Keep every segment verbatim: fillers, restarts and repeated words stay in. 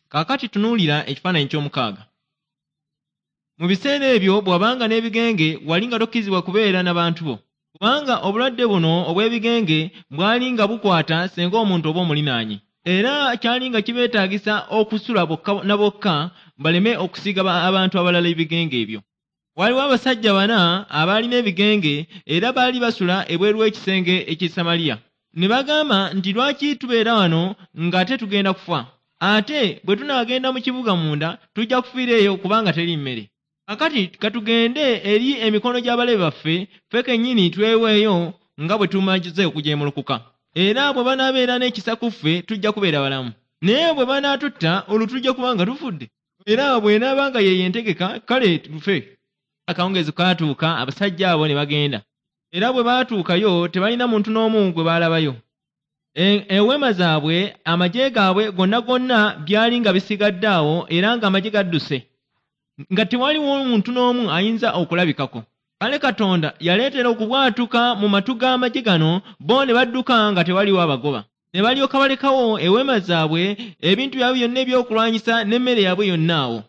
Kaakati tunuulira ekifaananyi ky'omukaaga. Mu biseera ebyo bw'abanga n'ebigenge wali nga tokkirizibwa kubeera n'abantu bo, kubanga obulwadde buno obw'ebigenge bwali nga bukwata singa omuntu oba omulinaanye. Era kyali nga kibeetaagisa okusula bokka na bokka baleme okusiiga abantu abalala ebigenge ebyo. Waliwo abasajja bana abaalina ebigenge era baali basula ebweru w'ekisenge eky'e Samaliya. Ne bagamba nti, lwaki tubeera wano ng'ate tugenda kufa? Ate bwe tunaagenda mu kibuga munda tujja kufiira eyo kubanga teri mmere. Kaakati ka tugende eri emikono gy'abalabe baffe, ffe kennyini tweweeyo nga bwe tumaze okujeemulukuka. Era bwe banaabeera n'ekisa ku ffe tujja kubeera balamu. Naye bwe banaatutta olwo tujja kuba nga tufudde. Era bw'enaaba nga ye yentegeka kale tufe. Akawungeezi kaatuuka abasajja abo ne bagenda. Era bwe baatuukayo tebalina muntu n'omu gwe baalabayo. Eweema zaabwe, amagye gaabwe gonna gonna byali nga bisigadde awo era ng'amagye gadduse, nga tewaliwo muntu n'omu ayinza okulabikako. Kale Katonda yaleetera okubwatuka mu matu g'amagye gano, bo ne badduka nga tewaliwo abagoba. Ne balyoka balekawo eweema zaabwe, ebintu byabwe byonna ebyokulwanyisa n'emmere yaabwe yonna awo.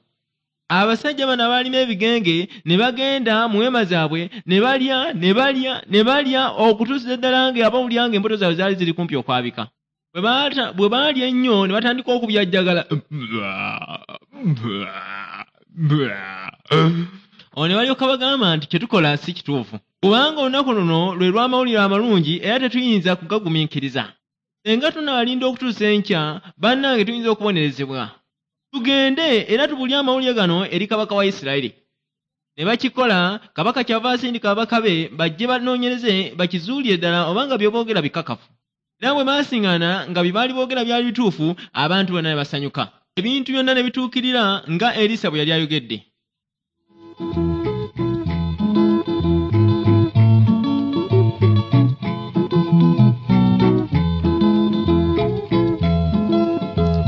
Abasajja bano abaalina ebigenge ne bagenda mu weema zaabwe ne balya ne balya ne balya okutuusa ddala nga abawulira ng'embuto zaabwe zaali ziri kumpi okwabika. Bwe baalya ennyo ne batandika okubyajjagala. Ono ne balyoka bagamba nti kye tukola si kituufu, kubanga olunaku luno lwe lw'amawulire amalungi era tetuyinza kugagumiikiriza. Singa tunaalinda okutuusa enkya, bannange tuyinza okubonerezebwa. Tugende era tubulye amawulire gano eri kabaka wa Isirayiri. Ne bakikola, kabaka kyava asindika ababaka be bajje banoonyereze bakizuulire ddala obanga bye boogera bikakafu. Era bwe baasiŋŋaana nga bye baali boogera byali bituufu, abantu bonna ne basanyuka. Ebintu byonna ne bituukirira nga Erisa bwe yali ayogedde.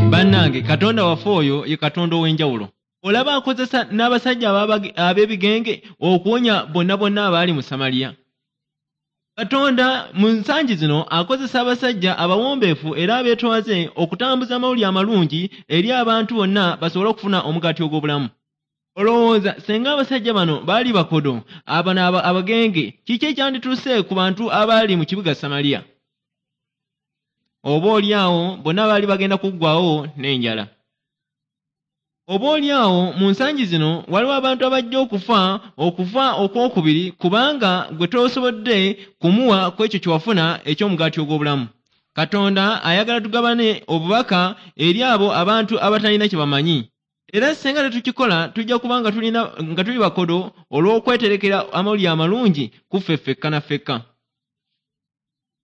Bannange, Katonda waffe oyo ye Katonda ow'enjawulo. Olaba akozesa n'abasajja ab'ebigenge okuwonya bonna bonna abaali mu Samaliya. Katonda mu nsangi zino akozesa abasajja abawombeefu era abeetoowaze okutambuza amawulire amalungi eri abantu bonna basobole okufuna omugaati ogw'obulamu. Olowooza singa abasajja bano baali bakodo, abano abagenge, kiki ekyandituuse ku bantu abaali mu kibuga Samaliya? Oba oli awo bonna baali bagenda kuggwaawo n'enjala. Oba oli awo mu nsangi zino waliwo abantu abajja okufa okufa okwokubiri kubanga gwe tosobodde kumuwa ku ekyo kye wafuna eky'omugaati ogw'obulamu. Katonda ayagala tugabane obubaka eri abo abantu abatalina kye bamanyi. Era singa tetukikola tujja kuba nga tulina nga tuli bakodo olw'okweterekera amawulire amalungi ku ffe ffekka na ffekka.